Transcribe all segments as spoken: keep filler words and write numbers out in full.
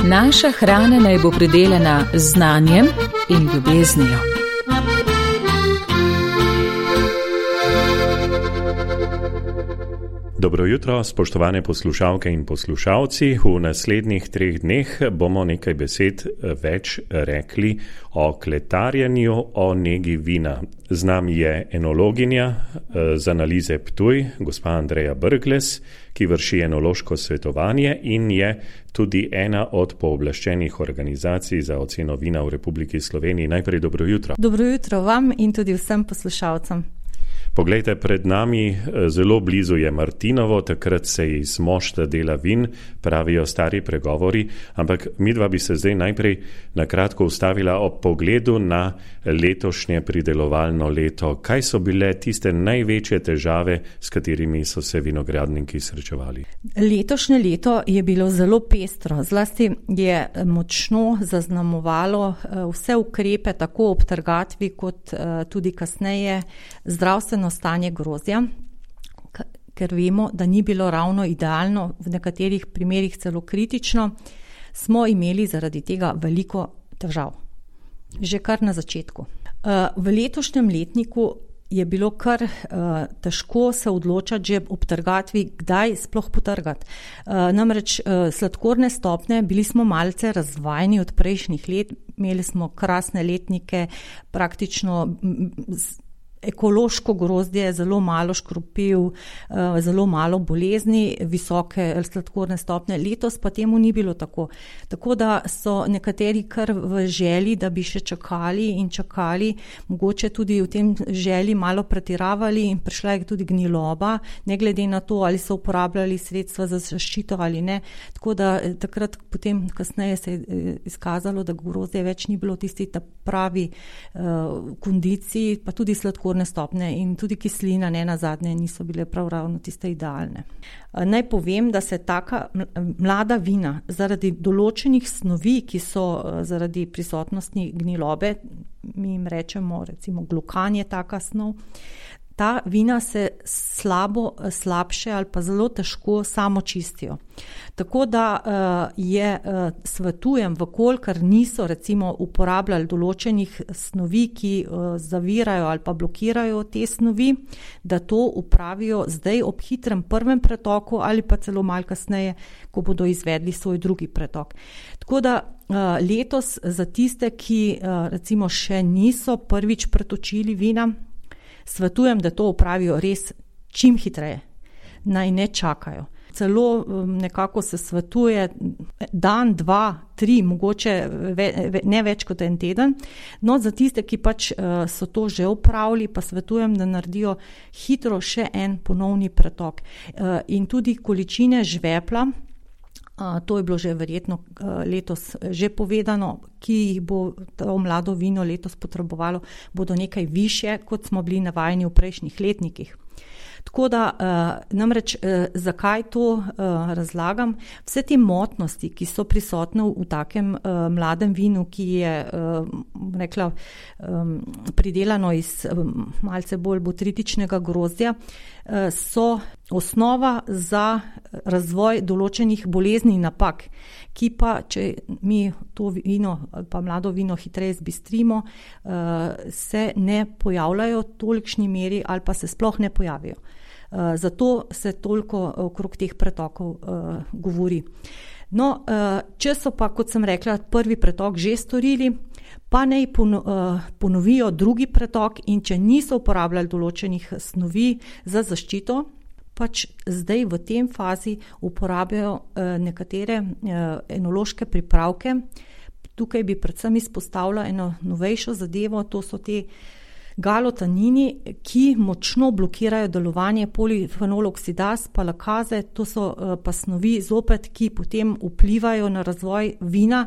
Naša hrana naj bo pridelana z znanjem in ljubeznijo. Dobro jutro, spoštovane poslušalke in poslušalci. V naslednjih treh dneh bomo nekaj besed več rekli o kletarjenju, o negi vina. Z nami je enologinja z analize Ptuj, gospa Andreja Brglez, ki vrši enološko svetovanje in je tudi ena od pooblaščenih organizacij za oceno vina v Republiki Sloveniji. Najprej dobro jutro. Dobro jutro vam in tudi vsem poslušalcem. Poglejte, pred nami zelo blizu je Martinovo, takrat se iz mošta dela vin, pravijo stari pregovori, ampak midva bi se zdaj najprej na kratko ustavila ob pogledu na letošnje pridelovalno leto. Kaj so bile tiste največje težave, s katerimi so se vinogradniki srečevali? Letošnje leto je bilo zelo pestro, zlasti je močno zaznamovalo vse ukrepe, tako ob trgatvi kot tudi kasneje zdravstveno stanje grozdja, ker vemo, da ni bilo ravno idealno, v nekaterih primerih celo kritično, smo imeli zaradi tega veliko težav. Že kar na začetku. V letošnjem letniku je bilo kar uh, težko se odločati že ob trgatvi, kdaj sploh potrgati. Uh, namreč uh, sladkorne stopne, bili smo malce razvajeni od prejšnjih let, imeli smo krasne letnike, praktično m, z, ekološko grozdje, zelo malo škropiv, zelo malo bolezni, visoke sladkorne stopnje. Letos pa temu ni bilo tako. Tako da so nekateri kar v želji, da bi še čakali in čakali, mogoče tudi v tem želji malo pretiravali in prišla je tudi gniloba, ne glede na to, ali so uporabljali sredstva za zaščito ali ne. Tako da takrat potem kasneje se je izkazalo, da grozdje več ni bilo tisti ta pravi uh, kondiciji, pa tudi sladkorne stopne in tudi kislina ne nazadnje niso bile prav ravno tiste idealne. Naj povem, da se taka mlada vina zaradi določenih snovi, ki so zaradi prisotnosti gnilobe, mi jim rečemo recimo glukan je taka snov, ta vina se slabo, slabše ali pa zelo težko samo čistijo. Tako da uh, je, uh, svetujem, vkolikor niso recimo uporabljali določenih snovi, ki uh, zavirajo ali pa blokirajo te snovi, da to upravijo zdaj ob hitrem prvem pretoku ali pa celo malo kasneje, ko bodo izvedli svoj drugi pretok. Tako da uh, letos za tiste, ki uh, recimo še niso prvič pretočili vina, svetujem, da to opravijo res čim hitreje, naj ne čakajo. Celo nekako se svetuje dan, dva, tri, mogoče ve, ne več kot en teden. No, za tiste, ki pač so to že opravili, pa svetujem, da naredijo hitro še en ponovni pretok. In tudi količine žvepla, to je bilo že verjetno letos že povedano, ki jih bo to mlado vino letos potrebovalo, bodo nekaj višje, kot smo bili navajeni v prejšnjih letnikih. Tako da, namreč, zakaj to razlagam? Vse te motnosti, ki so prisotne v takem mladem vinu, ki je, rekla, pridelano iz malce bolj botritičnega grozdja, so osnova za razvoj določenih bolezni in napak, ki pa, če mi to vino ali pa mlado vino hitreje zbistrimo, se ne pojavljajo v tolikšni meri ali pa se sploh ne pojavijo. Uh, zato se toliko okrog teh pretokov uh, govori. No, uh, če so pa, kot sem rekla, prvi pretok že storili, pa naj pono, uh, ponovijo drugi pretok in če niso uporabljali določenih snovi za zaščito, pač zdaj v tem fazi uporabljajo uh, nekatere uh, enološke pripravke. Tukaj bi predvsem izpostavila eno novejšo zadevo, to so te galotanini, ki močno blokirajo delovanje polifenoloksidaz, pa lakaze, to so pa snovi zopet, ki potem vplivajo na razvoj vina,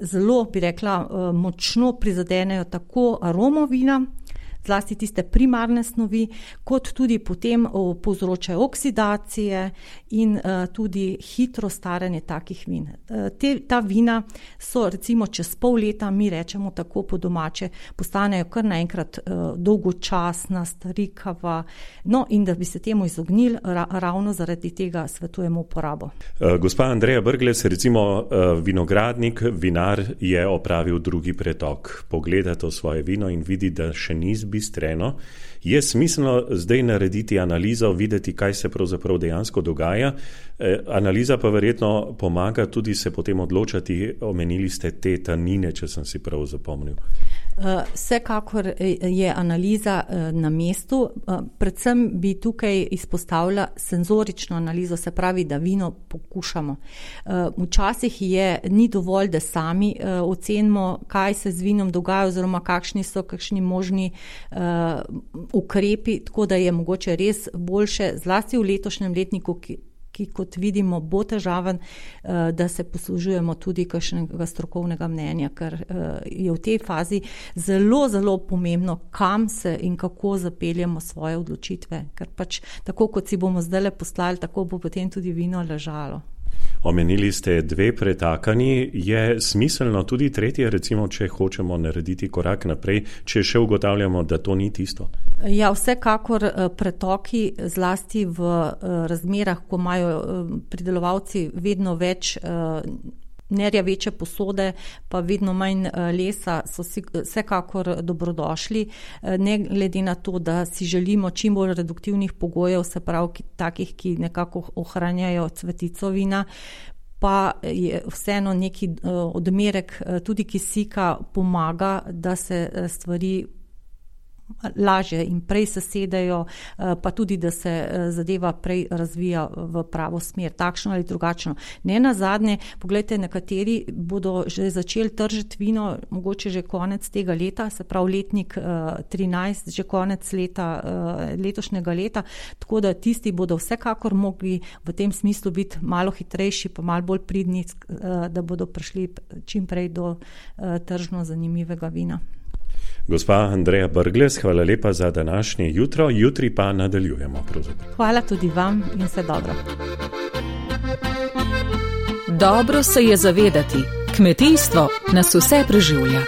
zelo, bi rekla, močno prizadenejo tako aromo vina, zlasti tiste primarne snovi, kot tudi potem povzročajo oksidacije in tudi hitro staranje takih vin. Te, ta vina so recimo čez pol leta, mi rečemo tako po domače, postanejo kar naenkrat dolgočasna, starikava, no in da bi se temu izognili, ra, ravno zaradi tega svetujemo uporabo. Gospa Andreja Brglez, recimo vinogradnik, vinar je opravil drugi pretok, pogleda to svoje vino in vidi, da še ni zbistreno. Je smiselno zdaj narediti analizo, videti, kaj se pravzaprav dejansko dogaja. Analiza pa verjetno pomaga tudi se potem odločati, omenili ste te tanine, če sem si prav zapomnil. Vsekakor je analiza na mestu, predvsem bi tukaj izpostavila senzorično analizo, se pravi, da vino pokušamo. Včasih je, ni dovolj, da sami ocenimo, kaj se z vinom dogaja oziroma kakšni so kakšni možni ukrepi, tako da je mogoče res boljše, zlasti v letošnjem letniku, ki ki kot vidimo bo težaven, da se poslužujemo tudi kakšnega strokovnega mnenja, ker je v tej fazi zelo, zelo pomembno, kam se in kako zapeljemo svoje odločitve, ker pač tako, kot si bomo zdajle poslali, tako bo potem tudi vino ležalo. Omenili ste dve pretakanji, je smiselno tudi tretje, recimo, če hočemo narediti korak naprej, če še ugotavljamo, da to ni tisto? Ja, vsekakor pretoki zlasti v razmerah, ko imajo pridelovalci vedno več nerjaveče posode, pa vedno manj lesa, so vsekakor dobrodošli, ne glede na to, da si želimo čim bolj reduktivnih pogojev, se pravi takih, ki nekako ohranjajo cvetico vina, pa je vseeno neki odmerek tudi kisika pomaga, da se stvari lažje in prej sesedejo, pa tudi, da se zadeva prej razvija v pravo smer, takšno ali drugačno. Ne nazadnje, pogledajte, nekateri bodo že začeli tržiti vino, mogoče že konec tega leta, se pravi letnik trinajst, že konec leta, letošnjega leta, tako da tisti bodo vsekakor mogli v tem smislu biti malo hitrejši, pa malo bolj pridni, da bodo prišli čim prej do tržno zanimivega vina. Gospa Andreja Brglez, hvala lepa za današnje jutro, jutri pa nadaljujemo. Pravzaprav. Hvala tudi vam in vse dobro. Dobro se je zavedati, kmetijstvo nas vse preživlja.